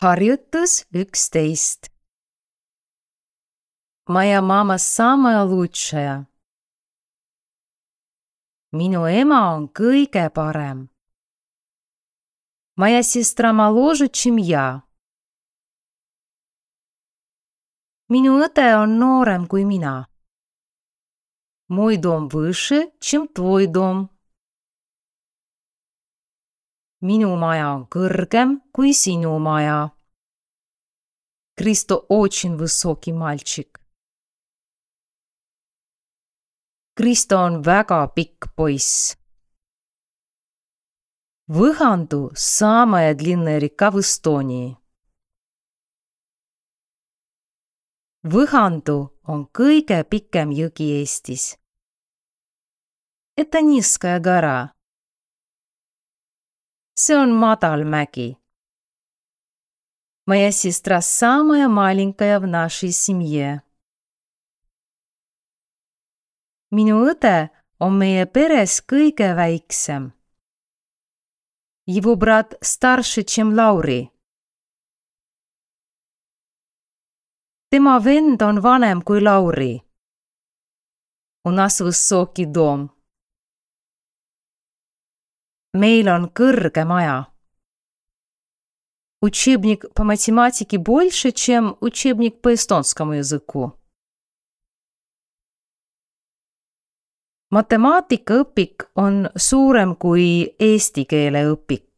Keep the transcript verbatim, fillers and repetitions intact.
Harjutus üksteist. Moja mama самая лучшая. Minu ema on kõige parem. Моя сестра моложе, чем я. Minu õde on noorem kui mina. Мой дом выше, чем твой дом. Minu maja on kõrgem kui sinu maja. Kristo очень высокий мальчик. Kristo on väga pikk poiss. Выханду – самая длинная река в Эстонии. Выханду on kõige pikem jõgi Eestis. Это низкая гора. See on madal mägi. Моя сестра самая маленькая в нашей семье. Minu õde on meie peres kõige väiksem. Его брат старше, чем Lauri. Tema vend on vanem kui Lauri. У нас высокий дом. Meil on kõrge maja. Учебник по математике больше, чем учебник по эстонскому языку. Matemaatikaõpik on suurem kui eesti keele õpik.